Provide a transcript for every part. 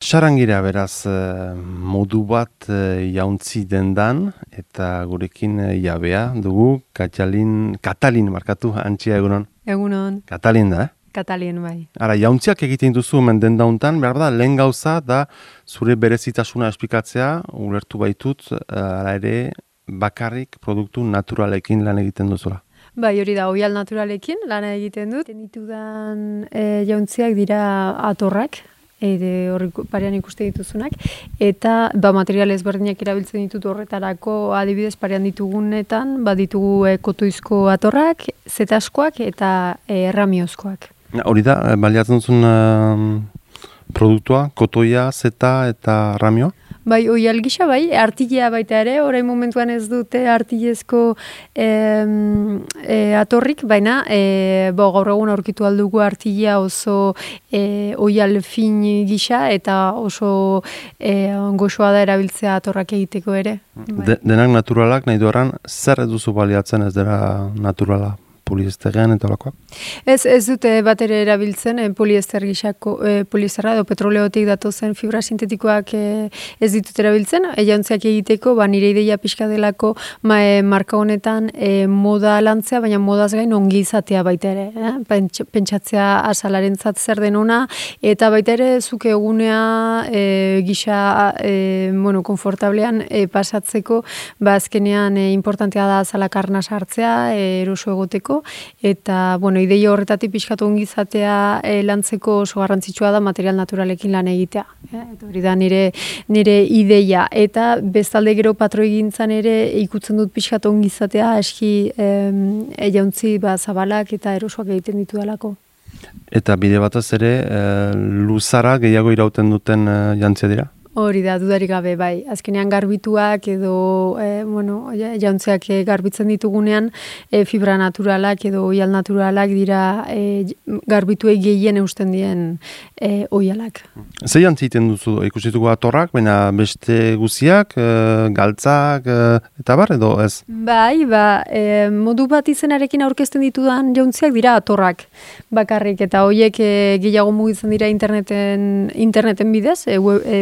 Sarangira beraz modu bat jauntzi dendan eta gurekin jabea dugu Katalin markatu antxia egunon. Egunon. Katalin da, Katalin bai. Ara, jauntziak egiten duzu hemen dendauntan, behar da, lehen gauza da zure berezitasuna esplikatzea, ulertu baitut, ara ere bakarrik produktu naturalekin lan egiten duzula. Bai, hori da, oial naturalekin lana egiten dut. Ditudan jauntziak dira atorrak, horri parean ikuste dituzunak, eta material ezberdinak erabiltzen ditut horretarako, adibidez parean ditugunetan, ditugu kotoizko atorrak, zetaskoak eta erramiozkoak. Hori da, baliatzen duzun produktua, kotoia, zeta eta ramioa? Bai, oial gisa bai, artilea baita ere, orain momentuan ez dute artilezko atorrik, baina gaur egun aurkitu aldugu artilea oso oial fin gisa eta oso goxoa da erabiltzea atorrak egiteko ere. Denak naturalak, nahi duaran, zer duzu baliatzen ez dira naturala? Poliesterean eta olakoa? Ez dute bat ere erabiltzen poliester gisako, poliesterra edo petroleotik datozen fibra sintetikoak ez ditut erabiltzen. Jauntziak egiteko, nire ideia pixka delako marka honetan moda lantzea, baina modaz gain ongi izatea baita ere. Pentsatzea azalarentzat zer den ona, eta baita ere zuke egunea gisa konfortablean pasatzeko, azkenean importantea da azalak arna sartzea, eroso egoteko, eta, ideia horretatik pixkatu ongi izatea lantzeko oso garrantzitsua da material naturalekin lan egitea. Eta hori da nire ideia. Eta bestalde gero patroigintzan ere ikutzen dut pixkatu ongi izatea eski jauntzi zabalak eta erosoak egiten ditu dalako. Eta bide batez ere, luzara gehiago irauten duten jantzia dira? Hori da, dudarik gabe, bai. Azkenean garbituak edo, jauntziak garbitzen ditugunean, fibra naturalak edo oial naturalak dira garbituei gehien eusten dien oialak. Ze jantzi egiten duzu, ikusituko atorrak, baina beste guziak, galtzak, eta bar, edo ez? Bai, modu bat izenarekin aurkezten ditudan jauntziak dira atorrak bakarrik, eta horiek gehiago mugitzen dira interneten bidez,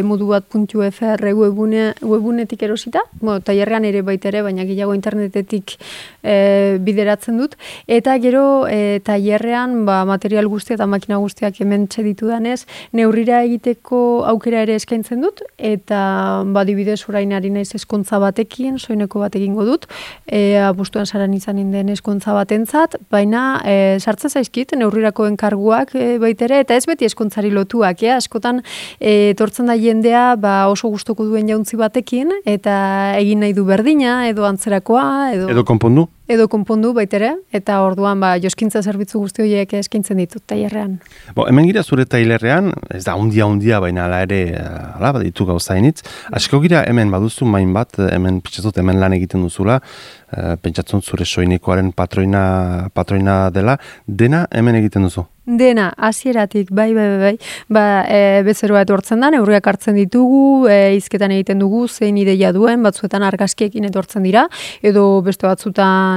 modu bat .fr webunetik erosita, tailerrean ere baita ere, baina gehiago internetetik bideratzen dut, eta gero tailerrean material guztia eta makina guztiak hemen txeditudanez, neurrira egiteko aukera ere eskaintzen dut, eta adibidez orain ari naiz eskontza batekin, soineko bat egingo dut, abustuan saran izanen den eskontza batentzat, baina sartzen zaizkit, neurrirako enkarguak baita ere, eta ez beti eskontzari lotuak, askotan etortzen da jendea oso gustoko duen jauntzi batekin, eta egin nahi du berdina, edo antzerakoa, edo konpondu? Edo konpondu baitere, eta orduan joskintza zerbitzu guzti horiek eskaintzen ditut tailerrean. Hemen gira zure tailerrean, ez da hundia, baina ala ere, baditu gauzainitz. Asko gira hemen baduzu main bat, hemen pentsatzut hemen lan egiten duzula, pentsatzen zure soinekoaren patroina dela, dena hemen egiten duzu? Dena, hasieratik, bai. Bezeroa etortzen da, neurriak hartzen ditugu, hizketan egiten dugu, zein ideia duen, batzuetan argazkiekin etortzen dira, edo beste batzutan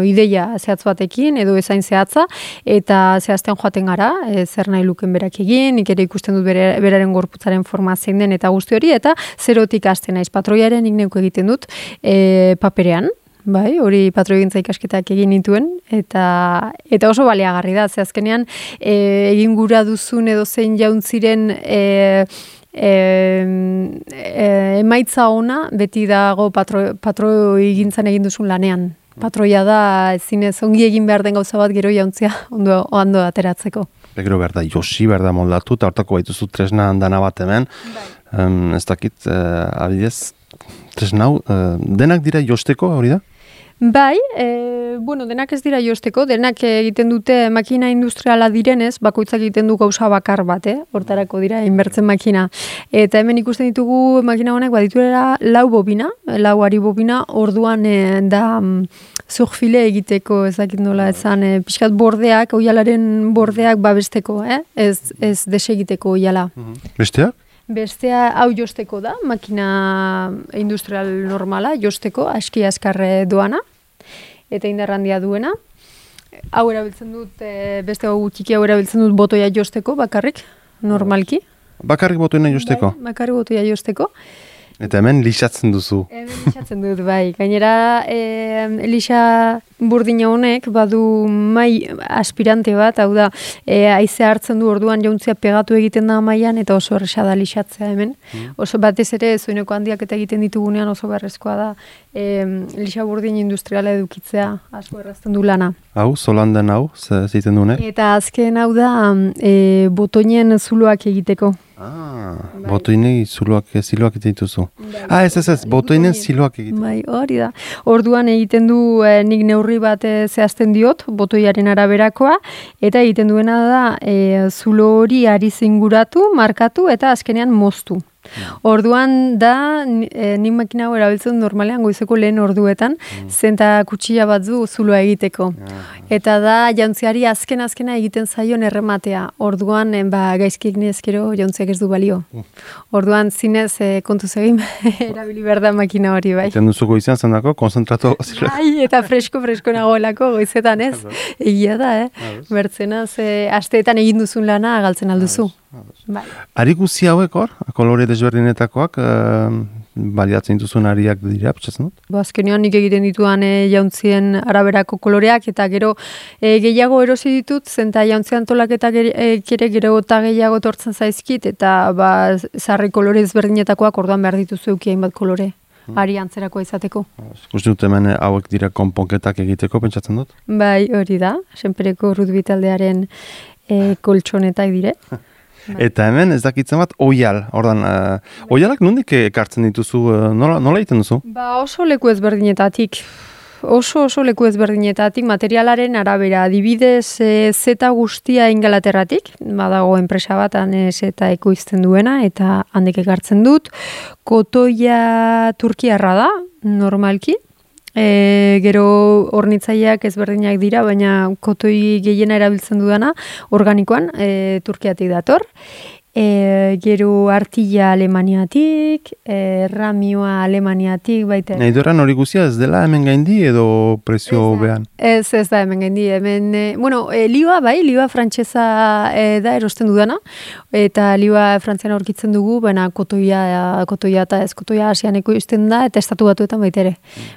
ideia zehatz batekin, edo ezain zehatza, eta zehazten joaten gara, zer nahi luken berak egin, nik ere ikusten dut beraren gorputzaren forma zein den, eta guzti hori, eta zerotik hasten naiz patroiaren nik neuko egiten dut paperean. Bai, hori patroigintza ikasketak egin nituen, eta oso baliagarri da, ze azkenean egin gura duzun edo zein jauntziren emaitza ona beti dago patroigintzan egin duzun lanean. Patroia da zinez ongi egin behar den gauza bat gero jauntzia ondo ateratzeko. Gero behar da, josi behar da moldatu, eta hortako baituzu tresna handana bat hemen, ez dakit, abidez, tresnau, denak dira josteko, hori da? Bai, denak ez dira josteko, denak egiten dute makina industriala direnez, bakoitzak egiten du gauza bakar bat, hortarako dira, inbertzen makina. Eta hemen ikusten ditugu makina honek badituela 4 bobina, 4 ari bobina, orduan da zurfile egiteko, ezakit nola ezan, pixkat bordeak, oialaren bordeak babesteko, ez desegiteko oiala. Besteak? Bestea hau josteko da, makina industrial normala, josteko, aski azkarre doana, eta indarrandia duena. Hau erabiltzen dut, beste hau txiki hau erabiltzen dut botoia josteko, bakarrik, normalki. Bakarrik botoina josteko? Bai, bakarrik botoia josteko. Eta hemen lixatzen duzu. Hemen lixatzen dut, bai. Gainera, lixa burdina honek badu mai aspirante bat, hau da, haizea hartzen du orduan jauntzia pegatu egiten da mailan eta oso erresa da lixatzea hemen. Oso batez ere, zoineko handiak eta egiten ditugunean oso beharrezkoa da lixa burdin industriala edukitzea, asko errazten du lana. Hau, zolanden hau, zeiten dunek? Eta azken hau da, botoinen zuloak egiteko. Botoinei ziloak egituzu. Ez, botoinen ziloak egiten. Bai, hori da. Orduan egiten du nik neurri bat zehazten diot, botoiaren araberakoa, eta egiten duena da zulo hori ari zinguratu, markatu, eta azkenean moztu. Orduan da, nik makina hau erabiltzen normalean goizeko lehen orduetan, zenta kutsilla bat du zuloa egiteko. Eta da, jauntziari azkena egiten zaion errematea. Orduan, gaizkik nezkero jauntziak ez du balio. Orduan, zinez kontuz egin erabili behar da makina hori, bai. Eten duzu goizean zendako, konzentratu. Bai, eta fresko nagoelako goizetan, ez? Egia da, Bertzenaz, asteetan egin duzun lana galtzen alduzu. Bai. Ari guzi hauek hor, kolore desberdinetakoak, baliatzen dituzun ariak dira, pentsatzen dut? Azkenean nik egiten dituan jauntzien araberako koloreak, eta gero gehiago erosi ditut, zenta jauntzian tolaketak ere gero eta gehiago tortzen zaizkit, eta zarri kolore ezberdinetakoak orduan behar dituzu eukien bat kolore. Ari antzerakoa izateko. Uste dut hemen hauek dira konponketak egiteko, pentsatzen dut? Bai, hori da, senpereko rugby taldearen koltsonetak dire. Eta hemen ez dakitzen bat oial. Ordan, oialak nondik ekartzen dituzu, nola egiten duzu? Oso leku ezberdinetatik. Oso leku ezberdinetatik, materialaren arabera. Adibidez, zeta guztia Ingalaterratik, badago enpresa bat, zeta ekoizten duena, eta handik ekartzen dut. Kotoia Turkiarra da, normalki. Gero hornitzaileak ezberdinak dira, baina kotoi gehiena erabiltzen dudana, organikoan, Turkiatik dator. Gero artilla Alemaniatik, ramioa Alemaniatik, baita. Nahi doran hori guzia ez dela hemen gaindi edo prezio behan? Ez da hemen gaindi. Hemen, liua bai, liua frantsesa da erosten dudana, eta liua frantzian aurkitzen dugu, baina kotoia eta ez kotoia asianeko izten da, eta estatu batuetan baita ere.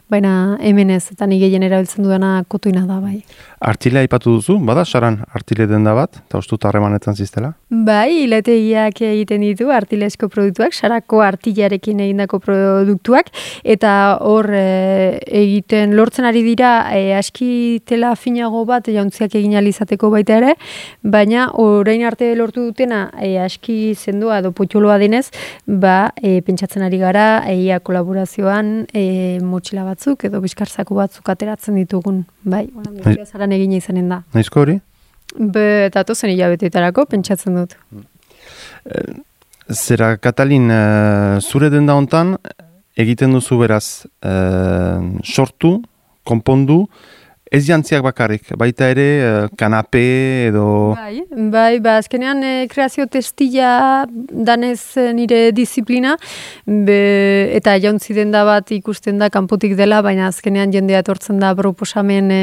Baina hemen ez, eta ni gehien erabiltzen dudana kotoina da bai. Artilea aipatu duzu, bada saran artile denda bat, eta ustut harremanetan ziztela? Bai, hilategiak egiten ditu artilesko produktuak, sarako artilarekin egindako produktuak, eta hor egiten lortzen ari dira aski tela finago bat jauntziak egin alizateko baita ere, baina orain arte lortu dutena aski sendoa edo potxoloa denez, pentsatzen ari gara, kolaborazioan motxila batzuk edo bizkarzako batzuk ateratzen ditugun, bai, zaran egin izanen da. Naizko hori? Eta tozen hilabeteetarako pentsatzen dut. Zera, Katalin, zure denda hontan egiten duzu beraz sortu, konpondu, ez jantziak bakarrik, baita ere kanape edo... Bai, azkenean kreazio testila danez nire disiplina, eta jauntzi denda bat ikusten da kanpotik dela, baina azkenean jendea etortzen da proposamen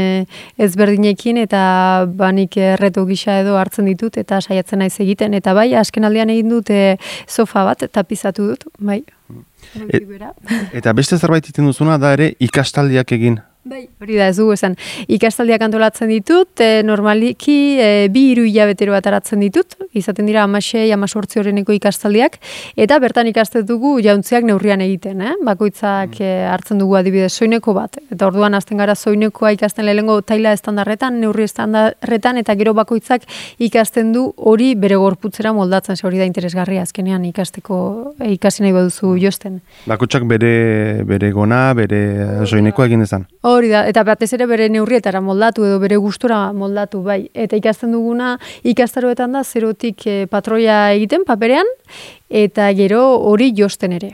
ezberdinekin, eta nik reto gisa edo hartzen ditut, eta saiatzen naiz egiten, eta bai, azken aldean egin dut sofa bat, tapizatu dut, bai. Eta beste zerbait egiten duzuna da ere ikastaldiak egin. Bai, hori da ez dugu esan. Ikastaldiak antolatzen ditut, normaliki 2-3 hilabetero bat aratzen ditut, izaten dira 16-18 horreneko ikastaldiak, eta bertan ikasten dugu jauntziak neurrian egiten, bakoitzak hartzen dugu adibidez soineko bat, eta orduan hasten gara soinekoa ikasten lehengo taila estandarretan, neurri estandarretan, eta gero bakoitzak ikasten du hori bere gorputzera moldatzen, hori da interesgarria azkenean ikasi nahi baduzu josten. Bakoitzak bere gona, bere soinekoa egin dezan. Hori da, eta batez ere bere neurrietara moldatu edo bere gustura moldatu, bai. Eta ikasten duguna ikastaroetan da zerotik patroia egiten paperean, eta gero hori josten ere.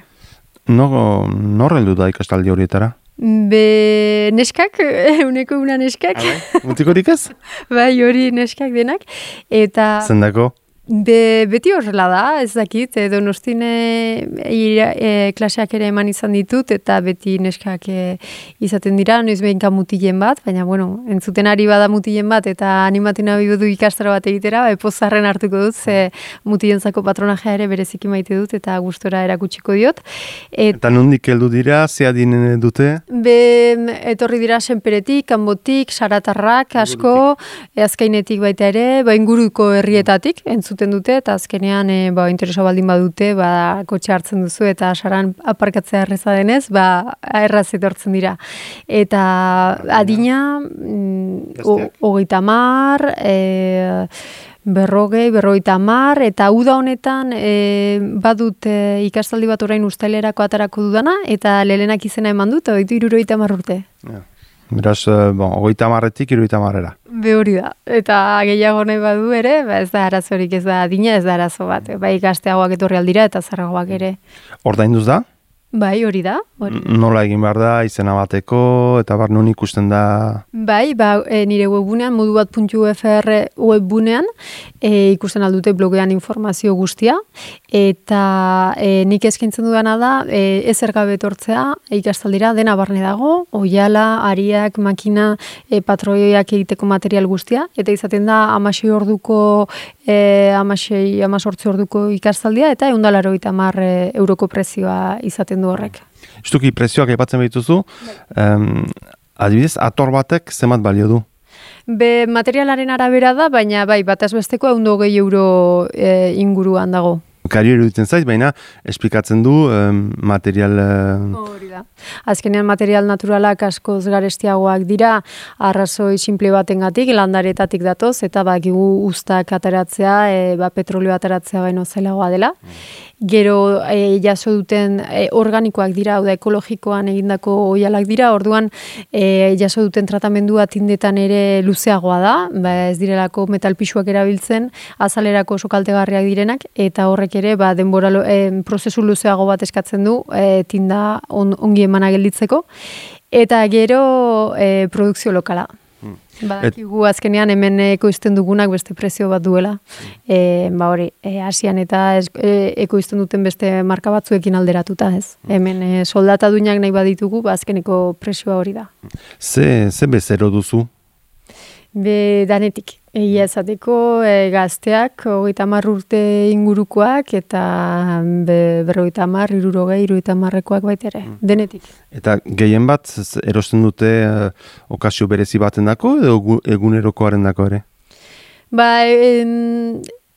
Nor heldu da ikastaldi horietara? Neskak, euneko una neskak. Mutikorik ez? Bai, hori neskak denak. Eta... Zendako? Beti horrela da, ez dakit, Donostin klaseak ere eman izan ditut, eta beti neskak izaten dira, noiz behinka mutilen bat, baina, bueno, entzuten ari bada mutilen bat, eta animatzen nahi du ikastaro bat egitera, pozarren hartuko dut, ze mutilentzako patronajea ere bereziki maite dut, eta gustora erakutsiko diot. Eta nondik heldu dira, ze adin dute? Etorri dira Senperetik, Kanbotik, Saratarrak, asko, Azkainetik baita ere, inguruko herrietatik, entzuten dute, eta azkenean interesa baldin badute, kotxe hartzen duzu, eta Saran aparkatzea erreza denez, erraz etortzen dira. Eta adina, 30, 50, eta uda honetan badut ikastaldi bat orain uztailerako atarako dudana, eta lelenak izena eman dut, 30 urte. Beraz, 30-etik 30-era. Hori da. Eta gehiago nahi badu ere, ez da arazorik, ez da adina, ez da arazo bat. Ikasteagoak etorri aldira eta zarragoak ere. Ordainduz da? Bai, hori da. Nola egin behar da, izena bateko, eta non ikusten da? Bai, nire webgunean, modubat.ufr webgunean, ikusten aldute blogean informazio guztia, eta nik eskaintzen dudana da, ezer gabe etortzea, ikastaldira, dena barne dago, oiala, ariak, makina, patroioak egiteko material guztia, eta izaten da 16 orduko, 18 orduko ikastaldia, eta 180 euroko prezioa izaten du horrek. Justuki prezioak aipatzen behituzu, adibidez, ator batek zenbat balio du? Materialaren arabera da, baina bataz besteko 120 euro inguruan dago. Kario iruditzen zait, baina esplikatzen du material... Hori da. Azkenean material naturalak askoz garestiagoak dira, arrazoi simple batengatik, landaretatik datoz, eta bakigu uztak ateratzea, petrolio ateratzea baino zailagoa dela. Gero jaso duten organikoak dira, hau da ekologikoan egindako oialak dira, orduan jaso duten tratamendua tindetan ere luzeagoa da, ez direlako metalpisuak erabiltzen, azalerako oso kaltegarriak direnak, eta horrek ere denbora prozesu luzeago bat eskatzen du tinda ongi emana gelditzeko, eta gero produkzio lokala. Badakigu azkenean hemen ekoizten dugunak beste prezio bat duela. Asian eta ekoizten duten beste marka batzuekin alderatuta, ez. Hemen soldata duinak nahi baditugu, azkeneko prezioa hori da. Ze bezero duzu? Danetik. Egia esateko gazteak 30 urte ingurukoak eta 50, 60, 70-ekoak baita ere, denetik. Eta gehien bat erosten dute okazio berezi batendako edo egunerokoaren dako ere?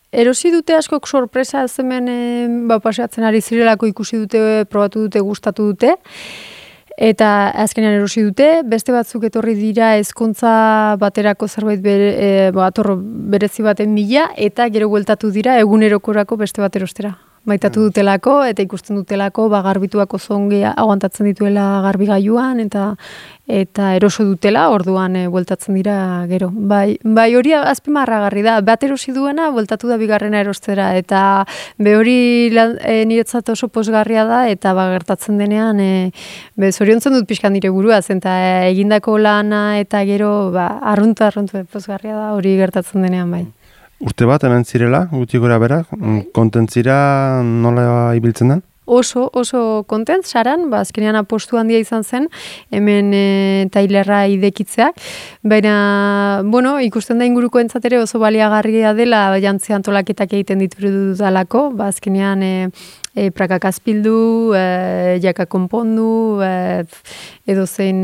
Erosi dute askok sorpresa hemen paseatzen ari zirelako ikusi dute, probatu dute, gustatu dute. Eta azkenean erosi dute, beste batzuk etorri dira ezkontza baterako zerbait ator berezi baten bila, eta gero bueltatu dira egunerokorako beste bat erostera. Maitatu dutelako, eta ikusten dutelako, garbituako zongi aguantatzen dituela garbigailuan, eta eroso dutela, orduan bueltatzen dira gero. Bai hori azpimarragarri da, bat erosi duena, bueltatu da bigarrena erostera, eta hori niretzat oso pozgarria da, eta gertatzen denean, zoriontzen dut pixkan nire buruaz, eta egindako lana, eta gero, arruntu pozgarria da, hori gertatzen denean bai. Urte bat hemen zirela, guti gora bera, kontentzira nola ibiltzen den? Oso kontent, Saran, azkenean apostu handia izan zen, hemen tailerra idekitzeak, baina, ikusten da inguruko entzatere oso baliagarria dela, jantzi antolaketak egiten ditudalako, azkenean prakak azpildu, jaka konpondu, edo zein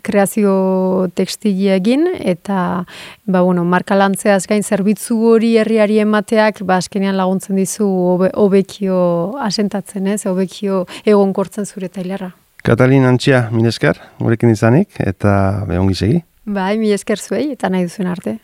kreazio tekstilia egin, eta marka lantzeaz gain zerbitzu hori herriari emateak, azkenean laguntzen dizu hobekio asentatzen, hobekio egonkortzen zure tailerra. Katalin Antxia, mil esker, gurekin izanik, eta ongi segi. Mil esker zuei, eta nahi duzuen arte.